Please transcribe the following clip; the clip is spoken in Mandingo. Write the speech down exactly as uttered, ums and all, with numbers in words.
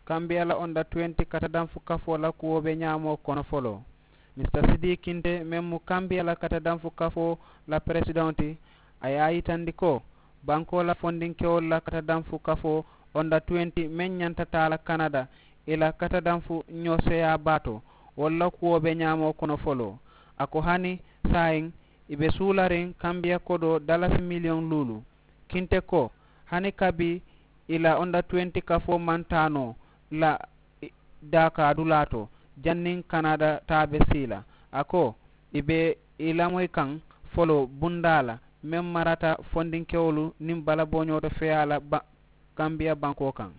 Kambiya la onda tuwenti katadanfu kafoo la kuwo be ñaamoo kono foloo. Mista sidii kinte meŋ mu kambiya la katadanfu kafoo la peresidaŋo ti, a ye a yitandi ko bankoo la fondinkewolu la katadanfu kafoo onda tuwenti meŋ ñanta taa la kanada i la katadanfu ñooseeyaa baa to, wolu la kuwo be ñaamoo kono foloo. A ko hani saayiŋ i be suulariŋ kambiya kodoo dalasi miliyoŋ luulu. Kinte ko hani kabi i la onda tuwenti kafoo maŋ taa noo la daakaa dulaa to, janniŋ kanada taa be sii la. A ko i be i lamoyi kaŋ foloo bundaa la meŋ marata fondinkewolu niŋ balabooñoo to feyaa la kambiya bankoo kaŋ.